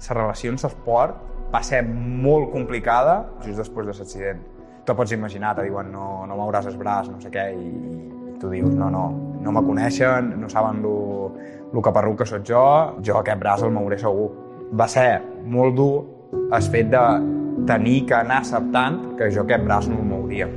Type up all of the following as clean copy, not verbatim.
la relació en l'esport va ser molt complicada just després de l'accident. Tu pots imaginar, te diuen no mouràs el braç, no sé què, i tu dius no me coneixen, no saben lo caparruc que soc jo aquest braç el mouré segur. Va ser molt dur el fet de tenir que anar acceptant que jo aquest braç no el mouria.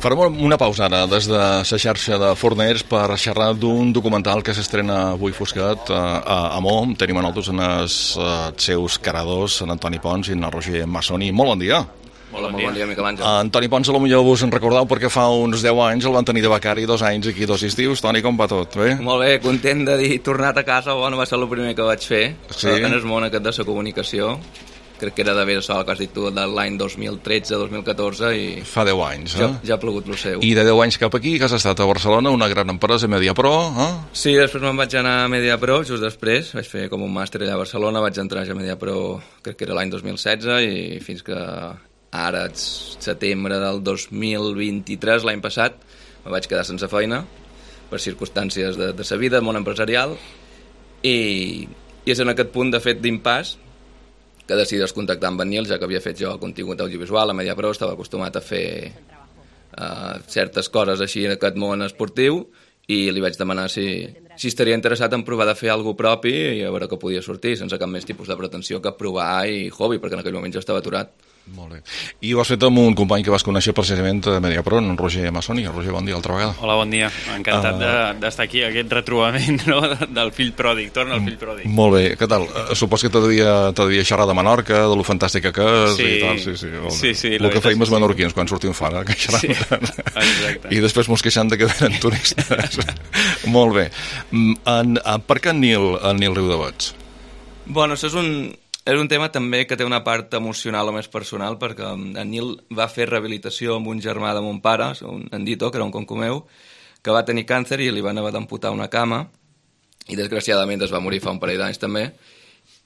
Farem una pausa ara des de la xarxa de Forners per xerrar d'un documental que s'estrena avui fosquet a Mo. Tenim a nosaltres els seus caradors, en Antoni Pons i en Roger Massoni. Molt bon dia. Molt bon dia, Miquel Àngel. Antoni Pons, potser vos en recordeu perquè fa uns 10 anys el van tenir de becari, 2 anys aquí, 2 estius. Toni, com va tot? Bé? Molt bé, content de dir tornat a casa. Bueno, va ser el primer que vaig fer en el món aquest de la comunicació. Crec que era d'haver sol que has dit tu de l'any 2013-2014 i... Fa 10 anys, Ja ha plogut el seu. I de 10 anys cap aquí, que has estat a Barcelona, una gran empresa, Mediapro, Sí, després me'n vaig anar a Mediapro, just després. Vaig fer com un màster allà a Barcelona, vaig entrar ja a Mediapro, crec que era l'any 2016, i fins que ara, setembre del 2023, l'any passat, me vaig quedar sense feina per circumstàncies de sa vida, món empresarial, i és en aquest punt, de fet, d'impàs, que decidís contactar amb en Nil, ja que havia fet jo contingut audiovisual a Mediapro, estava acostumat a fer certes coses així en aquest món esportiu, i li vaig demanar si estaria interessat en provar de fer alguna propi i a veure què podia sortir, sense cap més tipus de pretensió que provar i hobby, perquè en aquell moment jo estava aturat. Molt bé. I ho has fet amb un company que vas conèixer precisament a Mediapro, en Roger Massoni. Roger, bon dia, altra vegada. Hola, bon dia. Encantat d'estar aquí, aquest retrobament, no?, del fill pròdig. Torna el fill pròdig. Molt bé. Què tal? Supos que t'havia xerrar de Menorca, de lo fantàstica que és i tal. Sí. El que feim els menorquins quan sortim fora, que xerram. Sí, exacte. I després mos queixant de que venen turistes. Molt bé. Per què en Nil Riudeberts? Bueno, això és un tema també que té una part emocional o més personal, perquè en Nil va fer rehabilitació amb un germà de mon pare, en Dito, que era un concomeu, que va tenir càncer i li van haver d'amputar una cama, i desgraciadament es va morir fa un parell d'anys també,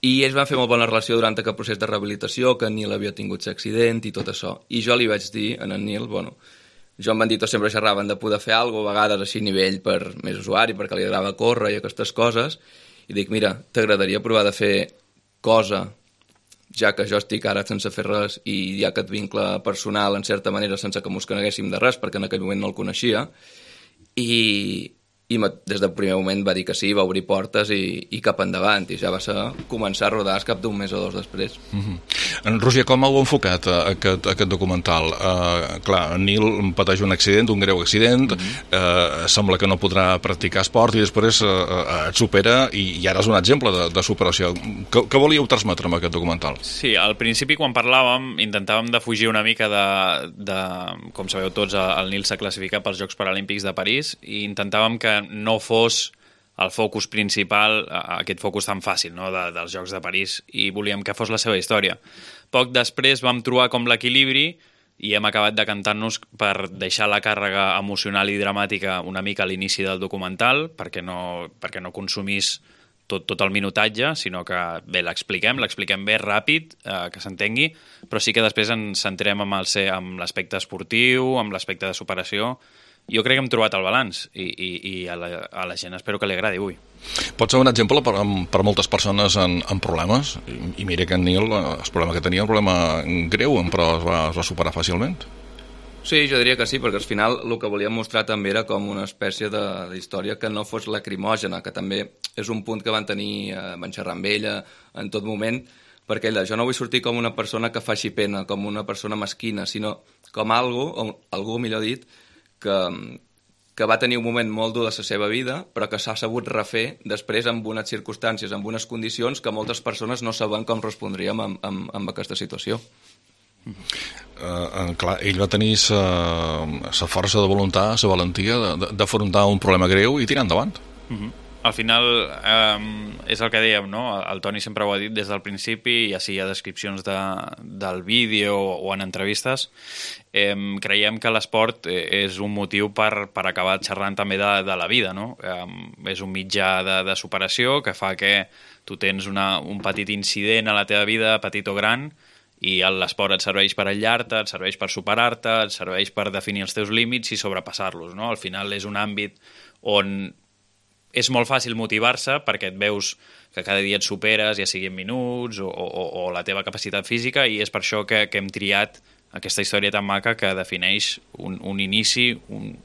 i ells van fer molt bona relació durant aquest procés de rehabilitació, que en Nil havia tingut l'accident i tot això. I jo li vaig dir a en Nil, bueno, jo amb en Dito sempre xerraven de poder fer alguna cosa, a vegades així a nivell per més usuari, perquè li agrada córrer i aquestes coses, i dic, mira, t'agradaria provar de fer cosa, ja que jo estic ara sense fer res i hi ha aquest vincle personal, en certa manera, sense que mos coneguéssim de res, perquè en aquell moment no el coneixia, i des del primer moment va dir que sí, va obrir portes i cap endavant, i ja va començar a rodar cap d'un mes o dos després. En Roger, com heu enfocat aquest documental? Clar, en Nil pateix un accident, un greu accident, sembla que no podrà practicar esport i després et supera i ara és un exemple de superació. Què volíeu transmetre amb aquest documental? Sí, al principi quan parlàvem intentàvem de fugir una mica de com sabeu tots, el Nil s'ha classificat pels Jocs Paralímpics de París i intentàvem que no fos el focus principal, aquest focus tan fàcil, no?, dels Jocs de París, i volíem que fos la seva història. Poc després vam trobar com l'equilibri i hem acabat decantant-nos per deixar la càrrega emocional i dramàtica una mica a l'inici del documental, perquè no consumís tot el minutatge, sinó que bé, l'expliquem bé, ràpid, que s'entengui, però sí que després ens centrem amb l'aspecte esportiu, amb l'aspecte de superació. Jo crec que hem trobat el balanç i a la gent espero que li agradi avui. Pot ser un exemple per moltes persones en problemes? I mira que en Nil, el problema que tenia, un problema greu, però es va superar fàcilment. Sí, jo diria que sí, perquè al final el que volíem mostrar també era com una espècie d'història que no fos lacrimògena, que també és un punt que van xerrar amb ella en tot moment, perquè jo no vull sortir com una persona que faci pena, com una persona mesquina, sinó com algú millor dit, que va tenir un moment molt dur de la seva vida, però que s'ha sabut refer després amb unes circumstàncies, amb unes condicions que moltes persones no saben com respondríem amb aquesta situació. Clar, ell va tenir la força de voluntat, la valentia d'afrontar un problema greu i tirar endavant. Al final és el que dèiem, no? El Toni sempre ho ha dit des del principi, ja sigui a descripcions del vídeo o en entrevistes. Creiem que l'esport és un motiu per acabar xerrant també de la vida, no? És un mitjà de superació que fa que tu tens un petit incident a la teva vida, petit o gran, i l'esport et serveix per aïllar-te, et serveix per superar-te, et serveix per definir els teus límits i sobrepassar-los, no? Al final és un àmbit on és molt fàcil motivar-se perquè et veus que cada dia et superes, ja sigui en minuts o la teva capacitat física, i és per això que hem triat aquesta història tan maca que defineix un inici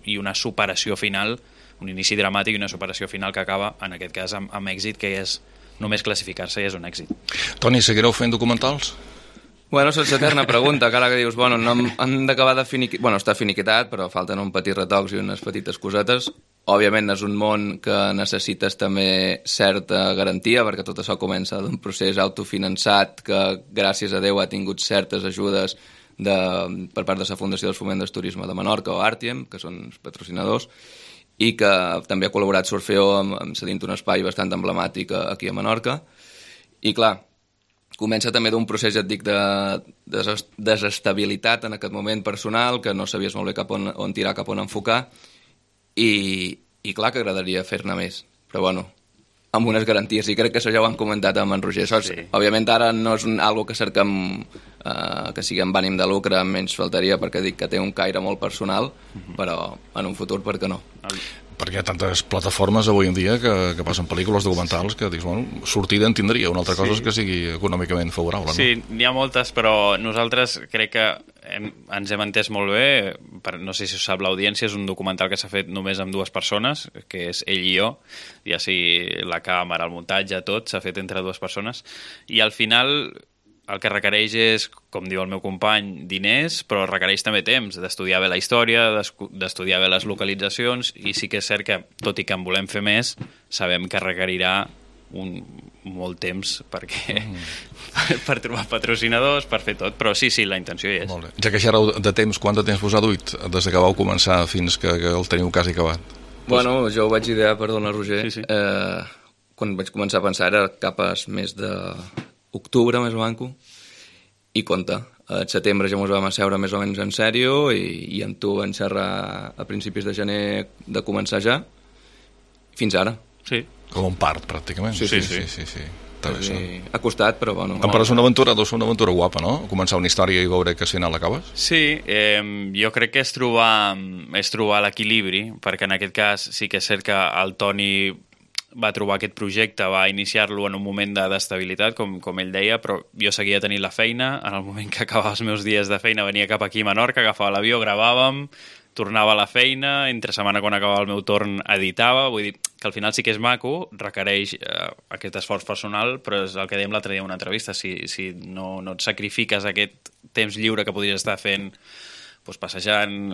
i una superació final, un inici dramàtic i una superació final que acaba, en aquest cas, amb èxit, que és només classificar-se ja és un èxit. Toni, seguireu fent documentals? Bueno, sense eterna pregunta, cara que dius, bueno, no hem d'acabar de finiquitar... Bueno, està finiquitat, però falten un petit retocs i unes petites cosetes. Òbviament és un món que necessites també certa garantia, perquè tot això comença d'un procés autofinançat que, gràcies a Déu, ha tingut certes ajudes per part de la Fundació del Foment del Turisme de Menorca o Artiem, que són els patrocinadors, i que també ha col·laborat Surfeo amb cedint un espai bastant emblemàtic aquí a Menorca. I clar, comença també d'un procés, ja et dic, de desestabilitat en aquest moment personal, que no sabies molt bé cap on tirar, cap on enfocar, i clar que agradaria fer-ne més, però bueno, amb unes garanties, i crec que això ja ho hem comentat amb en Roger. Sí. Òbviament ara no és algo que cerquem que sigui amb ànim de lucre, menys faltaria, perquè dic que té un caire molt personal, però en un futur per què no? Perquè hi ha tantes plataformes avui en dia que passen pel·lícules documentals que dius, bueno, sortida en tindria. Una altra cosa és que sigui econòmicament favorable, no? Sí, n'hi ha moltes, però nosaltres crec que ens hem entès molt bé. No sé si ho sap l'audiència, és un documental que s'ha fet només amb 2 persones, que és ell i jo, ja sigui la càmera, el muntatge, tot s'ha fet entre 2 persones, i al final el que requereix és, com diu el meu company, diners, però requereix també temps, d'estudiar bé la història, d'estudiar bé les localitzacions, i sí que és cert que, tot i que en volem fer més, sabem que requerirà molt temps per trobar patrocinadors, per fer tot, però sí, la intenció hi és. Molt bé. Ja que xerreu de temps, quant de temps vos ha duit des que vau començar fins que el teniu quasi acabat? Bueno, jo ho vaig idear, perdona, Roger, quan vaig començar a pensar era cap a mes d'octubre, més o manco, i compte. A setembre ja ens vam asseure més o menys en sèrio i amb tu vam xerrar a principis de gener de començar ja, fins ara. Sí. Com un part, pràcticament. Sí. Ha costat, però bueno. Em pareix una aventura guapa, no? Començar una història i veure que al final l'acabes? Sí, jo crec que és trobar l'equilibri, perquè en aquest cas sí que és cert que el Toni va trobar aquest projecte, va iniciar-lo en un moment d'estabilitat, com ell deia, però jo seguia tenint la feina. En el moment que acabava els meus dies de feina venia cap aquí a Menorca, agafava l'avió, gravàvem, tornava a la feina, entre setmana quan acabava el meu torn editava, vull dir que al final sí que és maco, requereix aquest esforç personal, però és el que dèiem l'altre dia en una entrevista, si no et sacrifiques aquest temps lliure que podries estar fent passejant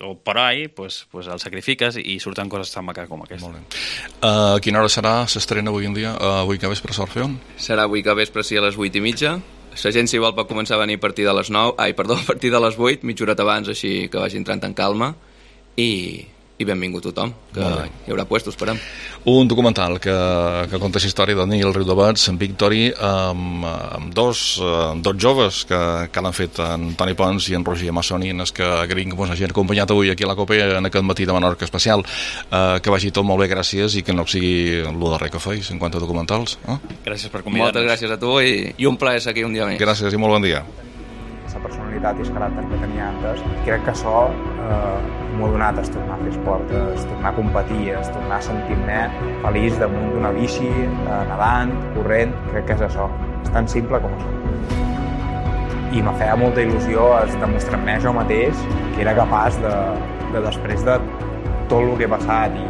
o per ahí, el sacrifiques i surten coses tan maques com aquesta. Molt bé. A quina hora serà s'estrena avui en dia? Avui que vespre Surfeo? Serà avui que vespre, sí, a les 8:30. La gent, si vol, pot començar a venir a partir de les 9, a partir de les 8, mitja horeta abans, així que vagi entrant en calma, i benvingut tothom, que hi haurà puestos, esperem. Un documental que conta la història de Nil Riudovats, en Victory, amb dos joves que l'han fet, en Toni Pons i en Roger Massoni, en els que agraïm que ens hagin acompanyat avui aquí a la COPE en aquest matí de Menorca especial. Que vagi tot molt bé, gràcies, i que no sigui el darrer que feis en quant a documentals. Gràcies per convidar-nos. Moltes gràcies a tu i un plaer ser aquí un dia més. Gràcies i molt bon dia. La personalitat i el caràcter que tenia antes, crec que això m'ho ha donat a tornar a fer esport, a tornar a competir, a tornar a sentir-me feliç damunt d'una bici, nedant, corrent. Crec que és això, és tan simple com això. I me feia molta il·lusió demostrar-me jo mateix que era capaç de després de tot el que he passat i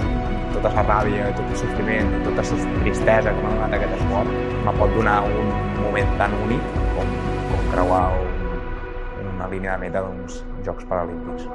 tota la ràbia, tot el sofriment, tota la tristesa que m'ha donat aquest esport, me pot donar un moment tan únic com creuar una línia de meta d'uns Jocs Paralímpics.